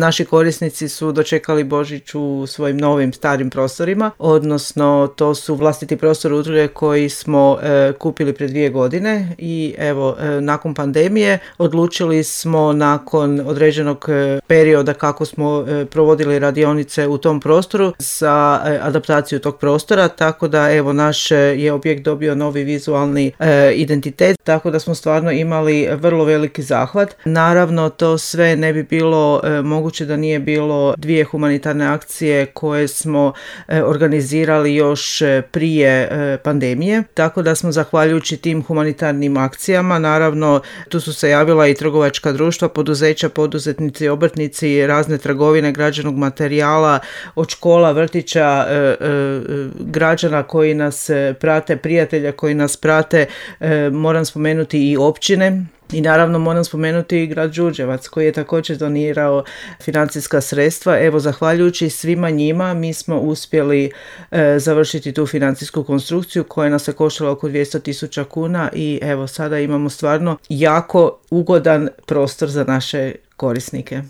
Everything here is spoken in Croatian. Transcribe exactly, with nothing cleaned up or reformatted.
Naši korisnici su dočekali Božić u svojim novim starim prostorima, odnosno to su vlastiti prostor udruge koji smo e, kupili pred dvije godine i evo, e, nakon pandemije odlučili smo nakon određenog e, perioda kako smo e, provodili radionice u tom prostoru za e, adaptaciju tog prostora, tako da evo naš je objekt dobio novi vizualni e, identitet, tako da smo stvarno imali vrlo veliki zahvat. Naravno, to sve ne bi bilo e, moguće da nije bilo dvije humanitarne akcije koje smo e, organizirali još prije e, pandemije, tako da smo zahvaljujući tim humanitarnim akcijama, naravno tu su se javila i trgovačka društva, poduzeća, poduzetnici, obrtnici, razne trgovine građevnog materijala, od škola, vrtića, e, e, građana koji nas prate, prijatelja koji nas prate, e, moram spomenuti i općine. I naravno moram spomenuti i grad Đurđevac koji je također donirao financijska sredstva. Evo, zahvaljujući svima njima mi smo uspjeli e, završiti tu financijsku konstrukciju koja nas je koštala oko dvjesto tisuća kuna i evo sada imamo stvarno jako ugodan prostor za naše korisnike.